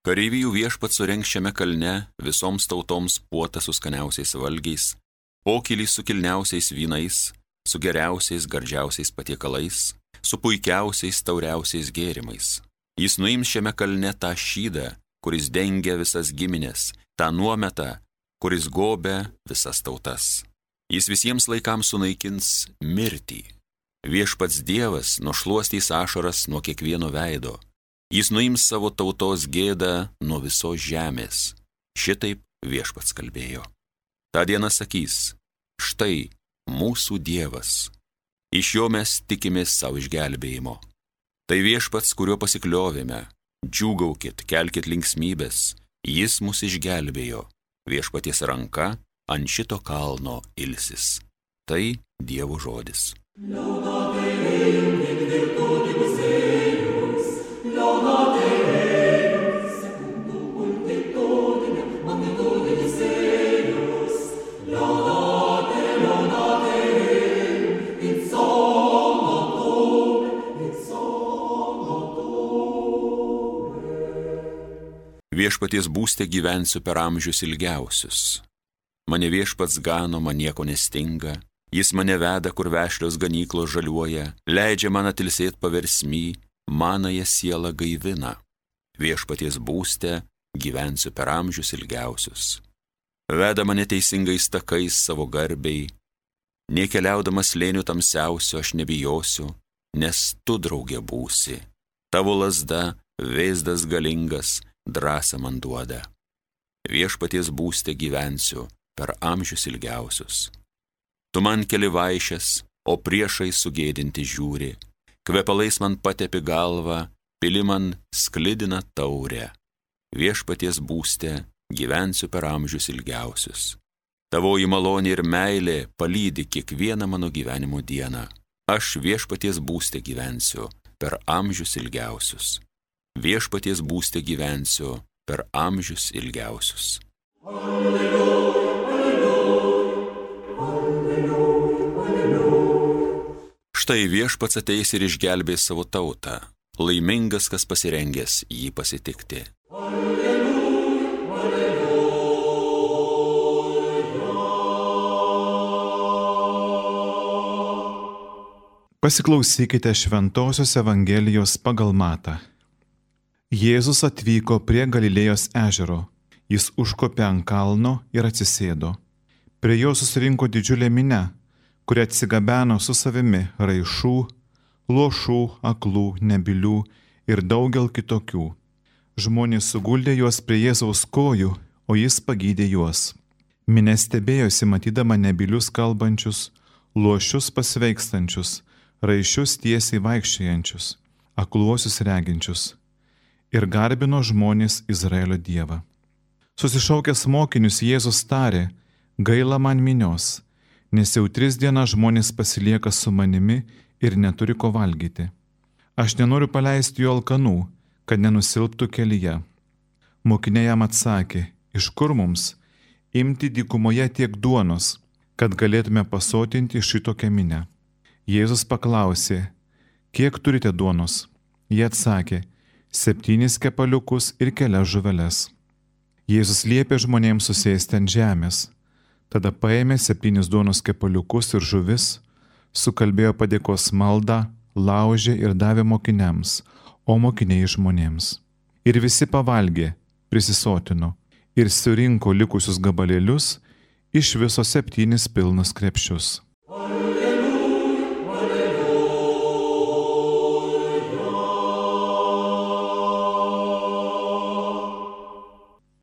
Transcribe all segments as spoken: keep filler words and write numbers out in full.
Kareivijų viešpats surengs šiame kalne visoms tautoms puotą su skaniausiais valgiais, pokylį su kilniausiais vynais, su geriausiais, gardžiausiais patiekalais, su puikiausiais, tauriausiais gėrimais. Jis nuims šiame kalne tą šydą, kuris dengia visas giminės, tą nuometą, kuris gobia visas tautas. Jis visiems laikams sunaikins mirtį. Viešpats Dievas nušluostys ašaras nuo kiekvieno veido. Jis nuims savo tautos gėdą nuo visos žemės. Šitaip viešpats kalbėjo. Ta diena sakys, štai mūsų Dievas. Iš jo mes tikimės savo išgelbėjimo. Tai viešpats, kuriuo pasikliovėme. Džiūgaukit, kelkit linksmybės. Jis mus išgelbėjo. Viešpaties ranka ant šito kalno ilsis. Tai Dievo žodis. Viešpaties būste gyvensiu per amžius ilgiausius. Mane viešpats gano, man nieko nestinga. Jis mane veda, kur vešlios ganyklos žaliuoja, leidžia man atilsėt paversmy, manąją sielą gaivina. Viešpaties būste gyvensiu per amžius ilgiausius. Veda mane teisingais takais savo garbei. Nė keliaudamas slėnių tamsiausio aš nebijosiu, nes tu draugė būsi. Tavo lazda, vėzdas galingas, drąsą man duoda. Viešpaties būste gyvensiu per amžius ilgiausius. Tu man keli vaišes, o priešai sugėdinti žiūri. Kvepalais man patepi galvą, pili man sklidina taurę. Viešpaties būste gyvensiu per amžius ilgiausius. Tavoji malonė ir meilė palydi kiekvieną mano gyvenimo dieną. Aš viešpaties būste gyvensiu per amžius ilgiausius. Viešpaties būste gyvensiu per amžius ilgiausius. Alleluja, alleluja, alleluja, alleluja. Štai viešpats ateis ir išgelbės savo tautą. Laimingas, kas pasirengęs jį pasitikti. Alleluja, alleluja. Pasiklausykite Šventosios Evangelijos pagal Matą. Jėzus atvyko prie Galilėjos ežero. Jis užkopė ant kalno ir atsisėdo. Prie jo susirinko didžiulė minia, kuri atsigabeno su savimi raišų, luošų, aklų, nebylių ir daugel kitokių. Žmonės suguldė juos prie Jėzaus kojų, o jis pagydė juos. Minia stebėjosi matydama nebylius kalbančius, luošius pasveikstančius, raišius tiesiai vaikščiojančius, akluosius reginčius. Ir garbino žmonės Izraelio Dievą. Susišaukęs mokinius Jėzus tarė, gaila man minios, nes jau tris dienas žmonės pasilieka su manimi ir neturi ko valgyti. Aš nenoriu paleisti jų alkanų, kad nenusilptų kelyje. Mokiniai jam atsakė, iš kur mums imti dykumoje tiek duonos, kad galėtume pasotinti šitokią minią. Jėzus paklausė, kiek turite duonos? Jie atsakė, septynis kepaliukus ir kelias žuveles. Jėzus liepė žmonėms susėsti ant žemės. Tada paėmė septynis duonos kepaliukus ir žuvis, sukalbėjo padėkos maldą, laužė ir davė mokiniams, o mokiniai žmonėms. Ir visi pavalgė, prisisotino ir surinko likusius gabalėlius, iš viso septynis pilnus krepšius.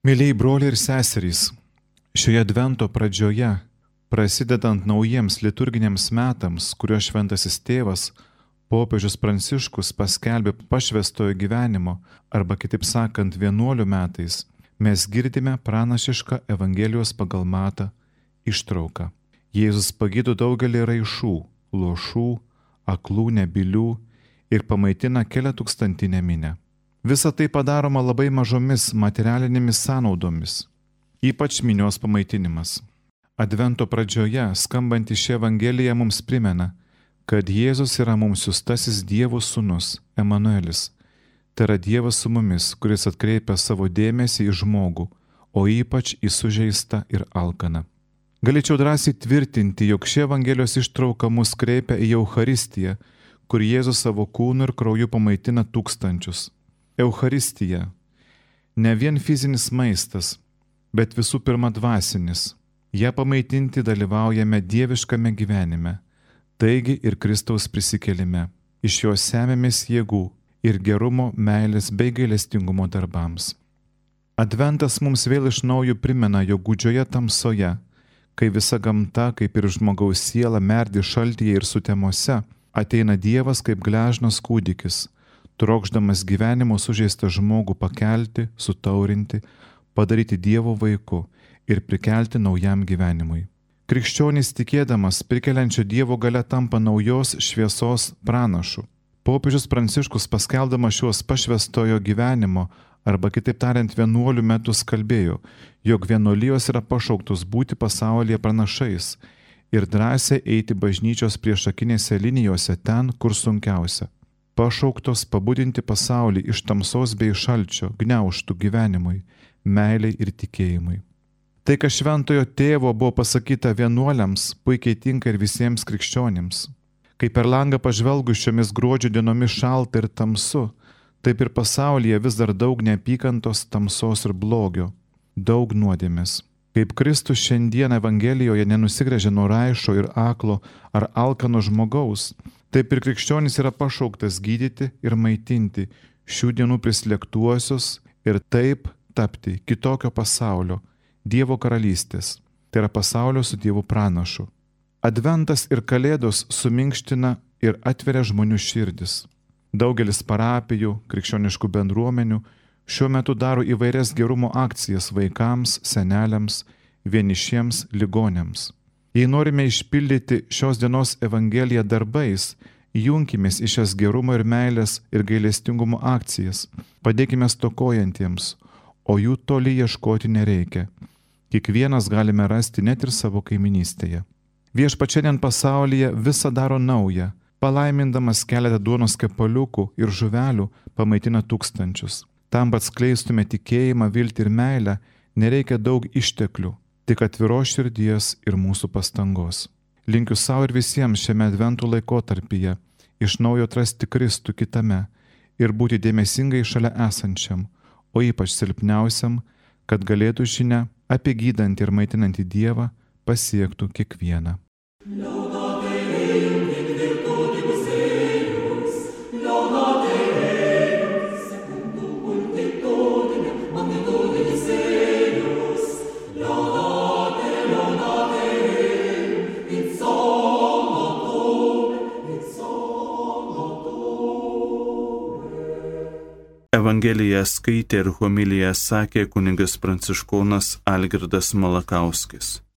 Mėlyjei broliai ir seserys, šioje advento pradžioje, prasidedant naujiems liturginiams metams, kurio šventasis tėvas, popiežius Pranciškus paskelbė pašvęstojo gyvenimo, arba kitaip sakant vienuolių metais, mes girdime pranašišką Evangelijos pagal Matą ištrauką. Jėzus pagydo daugelį raišų, luošų, aklų, nebylių ir pamaitina keliatūkstantinę minią. Visa tai padaroma labai mažomis materialinėmis sąnaudomis, ypač minios pamaitinimas. Advento pradžioje skambanti ši Evangelija mums primena, kad Jėzus yra mums siųstasis Dievo sūnus, Emanuelis, Tai yra Dievas su mumis, kuris atkreipia savo dėmesį į žmogų, o ypač į sužeistą ir alkaną. Galėčiau drąsiai tvirtinti, jog ši Evangelijos ištrauka mus kreipia į Eucharistiją, kur Jėzus savo kūnu ir krauju pamaitina tūkstančius. Eucharistija – ne vien fizinis maistas, bet visų pirma dvasinis. Ja pamaitinti dalyvaujame dieviškame gyvenime, taigi ir Kristaus prisikėlime. Iš jo semėmės jėgų ir gerumo, meilės bei gailestingumo darbams. Adventas mums vėl iš naujo primena, jog gūdžioje tamsoje, kai visa gamta, kaip ir žmogaus siela, merdi šaltyje ir sutemose, ateina Dievas kaip gležnas kūdikis, trokšdamas gyvenimo sužeistą žmogų pakelti, sutaurinti, padaryti Dievo vaiku ir prikelti naujam gyvenimui. Krikščionys tikėdamas prikeliančio Dievo galia tampa naujos šviesos pranašu. Popiežius Pranciškus paskelbdamas šios pašvęstojo gyvenimo, arba kitaip tariant vienuolių metus kalbėjo, jog vienuolijos yra pašauktos būti pasaulyje pranašais ir drąsiai eiti bažnyčios priešakinėse linijose ten, kur sunkiausia. Pašauktos pabudinti pasaulį iš tamsos bei šalčio, gniaužtų gyvenimui, meiliai ir tikėjimui. Tai, kas šventojo tėvo buvo pasakyta vienuoliams, puikiai tinka ir visiems krikščionims. Kai per langą pažvelgus šiomis gruodžio dienomis šalta ir tamsu, taip ir pasaulyje vis dar daug neapykantos, tamsos ir blogio, daug nuodėmės. Kaip Kristus šiandien Evangelijoje nenusigręžia nuo raišo ir aklo ar alkano žmogaus, taip ir krikščionis yra pašauktas gydyti ir maitinti šių dienų prislėgtuosius ir taip tapti kitokio pasaulio, Dievo karalystės, tai yra pasaulio su Dievu pranašu. Adventas ir Kalėdos suminkština ir atveria žmonių širdis. Daugelis parapijų, krikščioniškų bendruomenių šiuo metu daro įvairias gerumo akcijas vaikams, seneliams, vienišiems, ligoniams. Jei norime išpildyti šios dienos Evangeliją darbais, junkimės į šias gerumo ir meilės ir gailestingumo akcijas, padėkime stokojantiems, o jų toli ieškoti nereikia. Kiekvienas galime rasti net ir savo kaiminystėje. Viešpats šiandien pasaulyje visą daro naują, palaimindamas keletą duonos kepaliukų ir žuvelių pamaitina tūkstančius. Tam, kad skleistume tikėjimą, viltį ir meilę, nereikia daug išteklių, tik atviros širdies ir mūsų pastangos. Linkiu savo ir visiems šiame adventų laikotarpyje iš naujo atrasti Kristų kitame ir būti dėmesingai šalia esančiam, o ypač silpniausiam, kad galėtų žinia apie gydantį ir maitinantį Dievą pasiektų kiekvieną. Evangeliją skaitė ir homiliją sakė kunigas pranciškonas Algirdas Malakauskis.